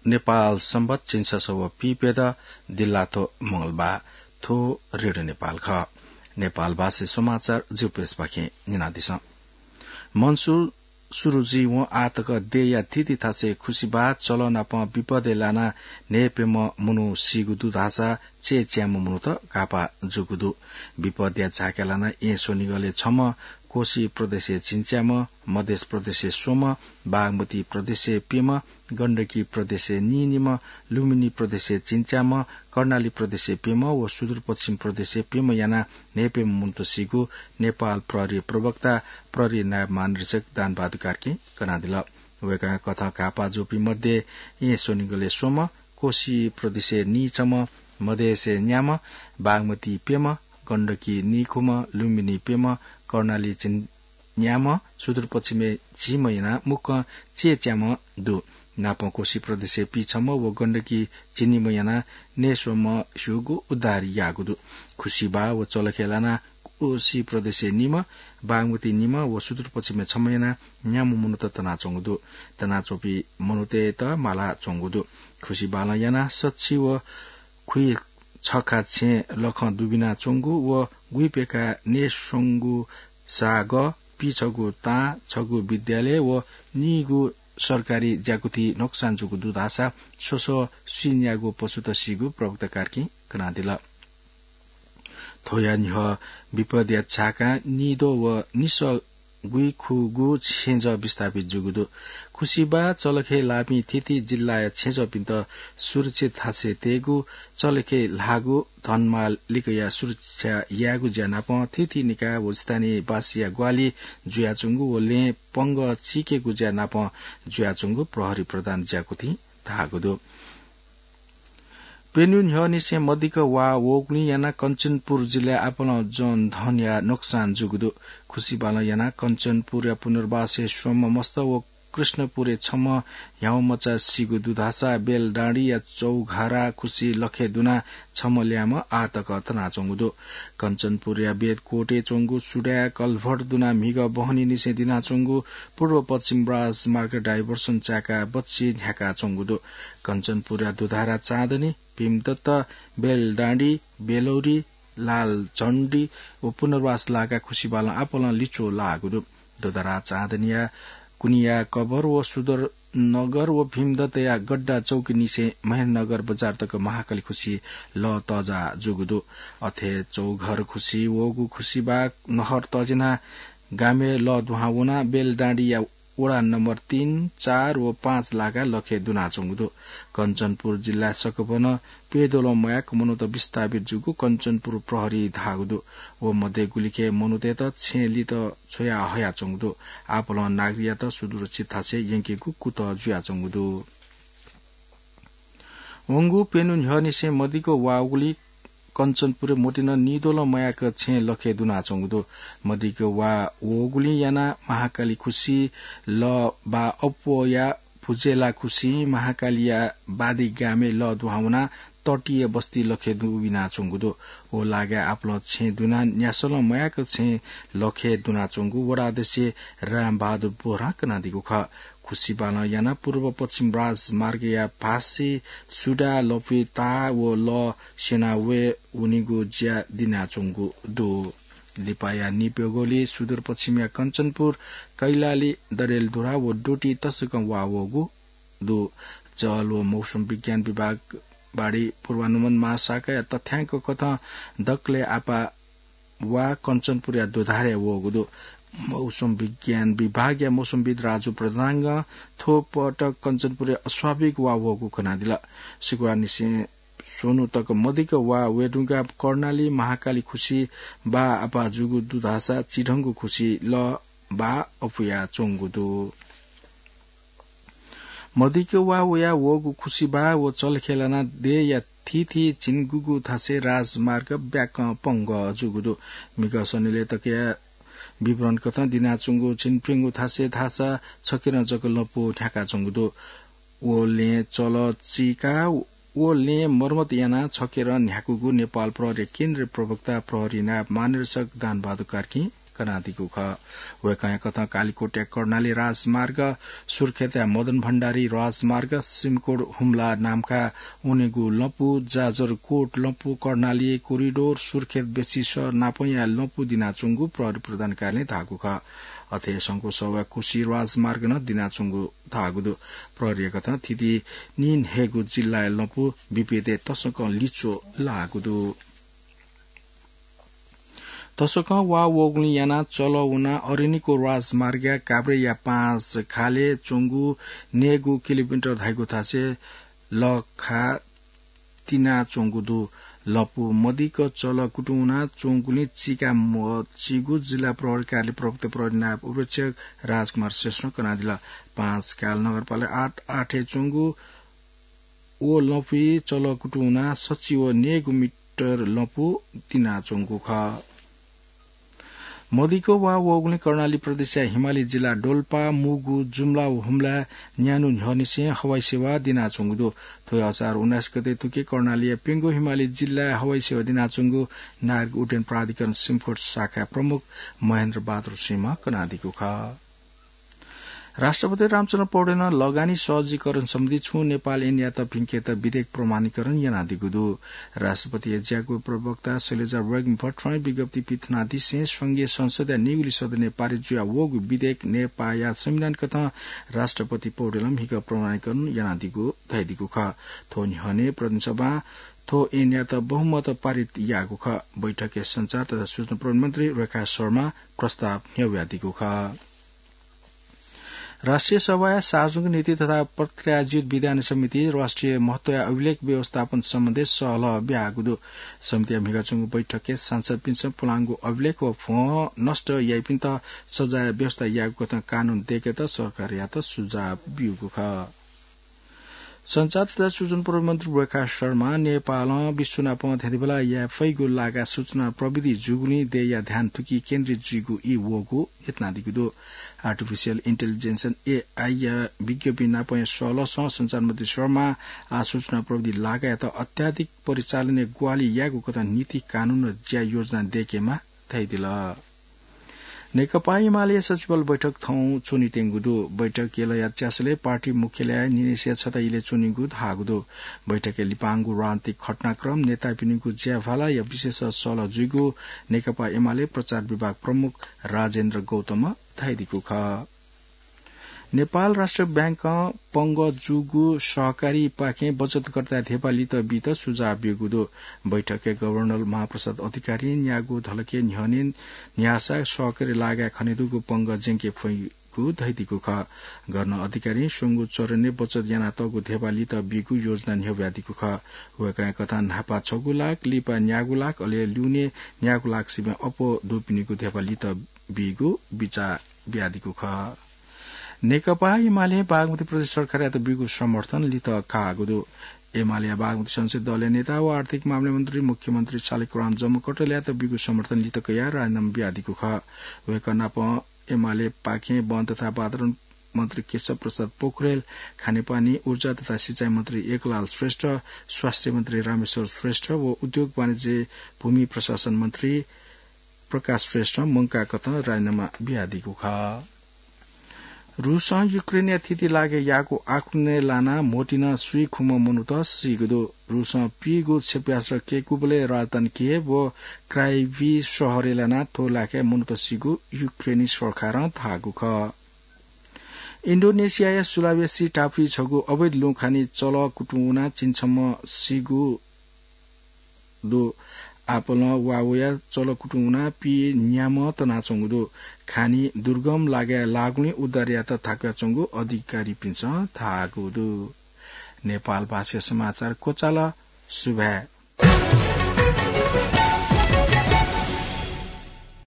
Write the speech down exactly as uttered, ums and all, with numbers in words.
नेपाल संवत झिंछसः व पीप्यदँ दिल्लाथ्व मंगलबार। थ्व रेडियो नेपाल खः। नेपाल भाषाय् समाचार जिगु प्रेसपाखें न्यनादिसँ। मनसुर सुरु जुइवं आः तक देय्‌या थीथी थासय् खुसिबाः चलः नाप विपदय् लानाः न्हय्‌प्यम्ह मनू सीगु दु धाःसा चय्‌च्याम्ह मनूत घाःपाः जूगु दु। विपदया झाकाय् लानाः येँ स्वनिगलय् छम्ह, कोशी प्रदेशय् झिंच्याम्ह, मधेस प्रदेशय् स्वम्ह, बागमती प्रदेशय् प्यम्ह, गण्डकी प्रदेशय् नीनिम्ह, लुम्बिनी प्रदेशय् झिंच्याम्ह, कर्णाली प्रदेशय् प्यम्ह व सुदूरपश्चिम प्रदेशय् प्यम्ह यानाः न्हय्‌प्यम्ह मनूत सीगु नेपाल प्रहरी प्रवक्ता प्रहरी नायब महानिरीक्षक दानबहादुर कार्कीं कनादिल। वय्‌कःया कथं घाःपाः जूपिं मध्ये येँ स्वनिगलय् स्वम्ह, कोशी प्रदेशय् नीछम्ह, मधेसय् न्याम्ह, बागमती प्यम्ह, गण्डकी नीखुम्ह, लुम्बिनी प्यम्ह, कर्णाली झिं न्याम्ह, सुदूरपश्चिमय् झिम्ह यानाः मुक्कं चय्‌च्याम्ह दु। नापं कोशी प्रदेशय् पीछम्ह व गण्डकी झिंनिम्ह यानाः नयेस्वम्ह स्यूगु उद्धार याःगु दु। खुसिबाः व चलखय् लानाः कोशी प्रदेशय् निम्ह, बागमती निम्ह व सुदूरपश्चिमय् छम्ह यानाः न्याम्ह मनूत तनाच्वंगु दु। तनाच्वंपिं मनूतय्‌त मालाच्वंगु दु। खुसिबालं यानाः सछि व खुइछखा छेँ लखं दुबिनाच्वंगु व गुइप्यका नयेस्वंगु सागः, पीछगू तां, छगू विद्यालय व नीगू सरकारी ज्याकुथि नोक्सान जूगु दु धाःसा स्वस्वः स्वीन्यागू पशुत सीगु प्रवक्ता कार्कीं कनादिल। थ्वया न्ह्यः विपदया झाकां निद्वः व निसः गुइखुगू छेँजः विस्थापित जूगु दु। खुसिबाः चलखय् लाःपिं थीथी जिल्लाया छेँजःपिन्त सुरक्षित थासय् तयेगु, चलखय् ल्हाःगु धनमाल लिकया सुरक्षा यायेगु ज्या नाप थीथी निकाय व स्थानीयवासीया ग्वाहालि जुयाच्वंगु व लँय् पंगः चीकेगु ज्या नाप जुयाच्वंगु प्रहरी प्रधान ज्याकुथिं धाःगु दु। प्यन्हु न्ह्यःनिसें मदिक्क वा वःगुलिं यानाः कञ्चनपुर जिल्लाय् आपालं जनधनया नोक्सान जूगु दु। खुसिबालं यानाः कञ्चनपुरया पुनर्वासय् स्वम्ह मस्त व कृष्णपुरय् छम्ह ह्याउँमचा सीगु दु धाःसा बेलडाँडीया चौघरा खुसि लखय् दुनाः छम्ह ल्याय्म्ह आः तक तनाच्वंगु दु। कञ्चनपुरया बेदकोटय् च्वंगु सुडाय् कल्भर्ट दुनाः म्हिगः बहनीनिसें दिनाच्वंगु पूर्व पश्चिम राजमार्ग डाइभर्सन चाय्‌काः बच्छि न्ह्याकाच्वंगु दु। कञ्चनपुरया दुधारा चाँदनी, भीमदत्त, बेलडाँडी, बेलौरी, लालझण्डी व पुनर्वास लागाः खुसिबालं आपालं लिच्वः लाःगु दु। दुधारा चाँदनीया कुनिया कभर व सुदरनगर व भीमदत्तया गड्डा चौकीनिसें महेन्द्रनगर बजार तक महाकाली खुसि लः तःजाः जूगु दु। अथे चौघर खुसि वःगु खुसिबाः नहर तजिना गामय् लः दुहां वनाः बेलडाँडीया वडा नम्बर तीन, चार व पाँच लागाः लखय् दुनाच्वंगु दु। कञ्चनपुर जिल्ला सकभनं प्यद्वलं मयाक मनूत विस्थापित जूगु कञ्चनपुर प्रहरीं धाःगु दु। व मध्ये गुलिखे मनूतय्‌त छेँय् लित छ्वया हयाच्वंगु दु। आपालं नागरिकयात सुरक्षित थासय् यंकेगु कुतः जुयाच्वंगु दु। वंगु प्यन्हु न्ह्यःनिसें मदिक्क वा वःगुलिं कञ्चनपुरय् मोतीनं निद्वलं मयाक छेँय् लखय् दुनाच्वंगु दु। मदिक्क वा वःगुलिं यानाः महाकाली खुसि लः बाः अप्वःया भुजेला खुसिं महाकालीया बादी गामय् लः दुहां वनाः तटीय बस्ती लखय् दुबिनाच्वंगु दु। व लागाय् आपालं छेँय् दुनाः न्यासलं मयाक छेँय् लखय् दुनाच्वंगु वडा अध्यक्ष रामबहादुर बोहरां कनादीगु खः। खुसिबालं यानाः पूर्व पश्चिम राजमार्गया भासि सुडा लँपुइ ताः व लः स्यना वये वनीगु ज्या दिनाच्वंगु दु। लिपाया नीप्यघौली सुदूरपश्चिमया कञ्चनपुर, कैलाली, डडेलधुरा व डोटी तसकं वा वःगु दु। जल व मौसम विज्ञान विभाग बाढी पूर्वानुमान महाशाखाया तथ्याङ्क कथं दकलय् आपाः वा कञ्चनपुरया दुधारय् वःगु दु। मौसम विज्ञान विभागया मौसमविद् राजु प्रधानगं थ्व पटक कञ्चनपुरय् अस्वाभाविक वा वःगु कनादिल। शुक्रबारनिसें स्वन्हु तक मदिक्क वा वयेधुंकाः कर्णाली महाकाली खुसि बाः आपाः जूगु दु धाःसा चिधंगु खुसि लः बाः अपुयाच्वंगु दु। मदिक्क वा वया वःगु खुसिबाः व चलखय् लानाः देय्‌या थीथी झिंगुगु थासय् राजमार्ग ब्याकं पंगः जूगु दु। म्हिगः सनिलय् तकया विवरण कथं दिनाच्वंगु झिंप्यंगू थासय् धाःसा छखेरं जक लँपु न्ह्याकाच्वंगु दु। व लँय् चलः चीकाः व लँय् मर्मत यानाः छखेरं न्ह्याकूगु नेपाल प्रहरीया केन्द्रीय प्रवक्ता प्रहरी नायब महानिरीक्षक दानबहादुर कार्कीं कनादीगु खः। वय्कःया कथं कालीकोटया कर्णाली राजमार्ग, सुर्खेतया मदन भण्डारी राजमार्ग, सिमकोट हुम्ला नाम्का वनेगु लँपु, जाजरकोट लँपु, कर्णाली कोरिडोर, सुर्खेत बेसिस नापंया लँपु दिनाच्वंगु प्रहरी प्रधान कार्यालयं धाःगु खः। अथे संघको सवाः कोशी राजमार्ग नं दिनाच्वंगु धाःगु दु। प्रहरीया कथं थीथी नीन्हय्गू जिल्लाया लँपु विपदय् तसकं लिच्वः लाःगु दु। तसकं वा वःगुलिं यानाः चलः वनाः अरनिको राजमार्गया काभ्रेया पाँच खालय् च्वंगु नय्गू किलोमिटर धाइगु थासय् लखा तिनाच्वंगु दु। लँपु मदिक्क चलः कुतुं वनाः च्वंगुलिं चीका मचीगु जिल्ला प्रहरी कार्यालय प्रवक्ता प्रहरी नायब उपरीक्षक राजकुमार श्रेष्ठं कनादिल। पाँच खाल नगरपालिका आठ आठय् च्वंगु व लँपुइ चलः कुतुं वनाः सच्छि व नय्गू मिटर लँपु तिनाच्वंगु खः। मदिक्क वा वःगुलिं कर्णाली प्रदेशया हिमाली जिल्ला डोल्पा, मुगु, जुम्ला व हुम्ला न्यान्हु न्ह्यःनिसें हवाई सेवा दिनाच्वंगु दु। थ्व हे असार उन्नाइस गते थुकी कर्णालीया प्यंगू हिमाली जिल्लाय् हवाई सेवा दिनाच्वंगु नागरिक उड्डयन प्राधिकरण सिमकोट शाखा प्रमुख महेन्द्र बहादुर सिंहं कनादीगु खः। राष्ट्रपति रामचन्द्र पौडेलं लगानी सहजीकरण सम्बन्धी छुं नेपाल ऐनयात भिंकेत विधेयक प्रमाणीकरण यानादीगु दु। राष्ट्रपतिया ज्याकू प्रवक्ता शैलजा वेगमि भट्टराईं विज्ञप्ति पिथनादिसें संघीय संसदया निगुली सदनय् पारित जुया वःगु विधेयक नेपाःया संविधान कथं राष्ट्रपति पौडेलं म्हिगः प्रमाणीकरण यानादीगु धयादीगु खः। थ्व न्ह्यःने प्रतिनिधि सभां थ्व ऐनयात बहुमत पारित याःगु खः। बैठकय् सञ्चार तथा सूचना प्रविधि मन्त्री रेखा शर्मां प्रस्ताव न्ह्यब्वयादीगु खः। राष्ट्रिय सभाया सार्वजनिक नीति तथा पत्रकारिता ज्यूत विधान समितिं राष्ट्रिय महत्वया अभिलेख व्यवस्थापन सम्बन्धी सहलह ब्याःगु दु। समितिया म्हिगः च्वंगु बैठकय् सांसदपिन्सं पुलांगु अभिलेख व भ्वं नष्ट याइपिन्त सजाय व्यवस्था यायेगु कथं कानून दय्केत सरकारयात सुझाव ब्यूगु खः। सञ्चार तथा सूचना प्रविधि मन्त्री रेखा शर्मां नेपालं विश्व नाप थेंतुबला याये फइगु लागा सूचना प्रविधि जूगुलिं देय्या ध्यान थुकी केन्द्रित जुइगु ई वःगु न्ह्यथनादीगु दु। Artificial Intelligence, एआई या विज्ञप्ति नापंया सहलहसं सञ्चार मन्त्री शर्मां आः सूचना प्रविधि लागायात अत्याधिक परिचालनय् ग्वाहालि यायेगु कथं नीति कानून ज्या योजना दय्केमाः धयादिल। नेकपा एमालेया सचिवालय बैठक थौं च्वनेत्यंगु दु। बैठक यलया च्यासलय् पार्टी मुख्यालय निनेसिया छता इलय् च्वनीगु धाःगु दु। बैठकय् लिपांगु राजनीतिक घटनाक्रम, नेतापिनिगु ज्याभालाया विषयय् सहलह जुइगु नेकपा एमाले प्रचार विभाग प्रमुख राजेन्द्र गौतमं धयादीगु खः। नेपाल राष्ट्र बैंकं पंगः जूगु सहकारीपाखें बचतकर्ताया धेबा लित बीत सुझाव ब्यूगु दु। बैठकय् गभर्नर महाप्रसाद अधिकारीं न्यागू धलखय् न्ह्यःने न्ह्याःसा सहकारी लागाय् खनेदुगु पंगः ज्यंके फइगु धयादीगु खः। गभर्नर अधिकारीं स्वंगू चरणय् बचत यानातःगु धेबा लित बीगु योजना न्ह्यब्वयादीगु खः। वय्कःया कथं न्हापा छगू लाख, लिपा न्यागू लाख, अले ल्यूने न्यागू लाख सिबें अप्वः दुपिनिगु धेबा लित बीगु बिचाः बियादीगु खः। नेकपा एमालें बागमती प्रदेश सरकारयात ब्यूगु समर्थन लित काःगु दु। एमालेया बागमती संसदीय दलया नेता व आर्थिक मामला मन्त्री मुख्यमन्त्री सालिकराम जम्मकटलयात ब्यूगु समर्थन लित कयाः राजीनामा बियादीगु खः। वय्कः नाप एमालेपाखें वन तथा वातावरण मन्त्री केशव प्रसाद पोखरेल, खानेपानी, ऊर्जा तथा सिँचाइ मन्त्री एकलाल श्रेष्ठ, स्वास्थ्य मन्त्री रामेश्वर श्रेष्ठ व उद्योग वाणिज्य भूमि प्रशासन मन्त्री प्रकाश श्रेष्ठं मंकाः कथं राजीनामा बियादीगु खः। रूसं युक्रेनया थीथी लागाय् याःगु आक्रमणय् लानाः म्होतिं नं स्वीखुम्ह मनूत सीगु दु। रूसं पीगू क्षेपयास्त्र कय्कूबलय् राजधानी कियेव व क्राइभी शहरय् लानाः थ्व लागाय् मनूत सीगु युक्रेनी सरकारं धाःगु खः। इन्डोनेसियाया सुलावेसी टापुइ छगू अवैध लुँखानी चलः कुतुं वनाः झिंछम्ह सीगु दु। आपालं वा वयाः चलः कुतुं वनाः पीन्याम्ह तनाच्वंगु दु। खानी दुर्गम लागाय् लाःगुलिं उद्धार यायेत थाकुयाच्वंगु अधिकारीपिन्सं धाःगु दु। नेपाल भाषाया समाचार क्वचाल। सुभाय्।